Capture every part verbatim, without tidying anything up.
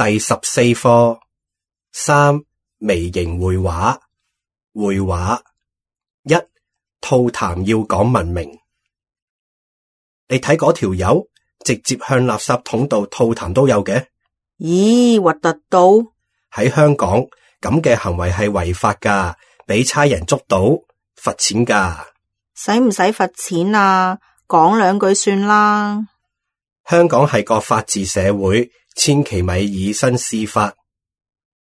第十四課三微型繪畫。繪畫一，吐痰要講文明。你睇嗰條友直接向垃圾桶度吐痰都有嘅。咦，核突到！喺香港咁嘅行為係違法噶，俾差人捉到罰錢噶。使唔使罰錢啊？講兩句算啦。香港係個法治社會，千祈咪以身試法。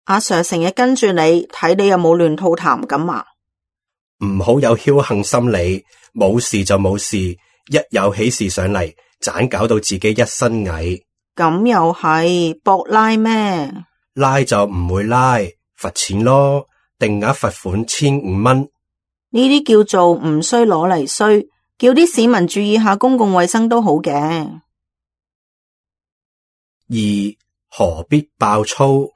阿 Sir 成日跟住你，睇你有冇亂吐痰咁啊？唔好有僥倖心理，冇事就冇事，一有喜事上嚟，盞搞到自己一身蟻。咁又係博拉咩？拉就唔會拉，罰錢咯，定額罰款千五蚊。呢啲叫做唔衰攞嚟衰，叫啲市民注意下公共衛生都好嘅。二，何必爆粗？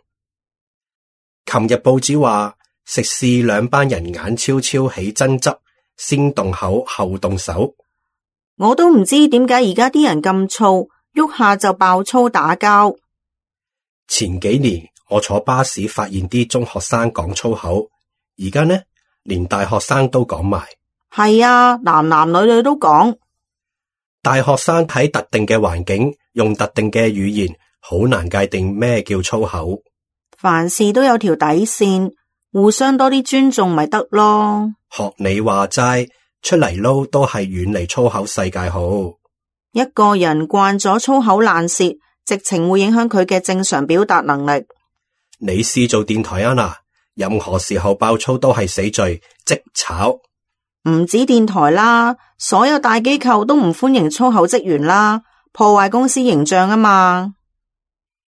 琴日報紙話食肆兩班人眼超超起爭執，先動口後動手。我都唔知點解而家啲人咁燥，喐下就爆粗打交。前幾年我坐巴士發現啲中學生講粗口，而家呢連大學生都講埋。係啊，男男女女都講。大學生喺特定嘅環境用特定嘅語言，好難界定咩叫粗口。凡事都有條底線，互相多啲尊重咪得咯。學你話齋，出嚟撈都係遠離粗口世界好。一個人慣咗粗口爛舌，直情會影響佢嘅正常表達能力。你試做電台啊嗱，任何時候爆粗都係死罪，即炒。唔止電台啦，所有大機構都唔歡迎粗口職員啦，破壞公司形象啊嘛。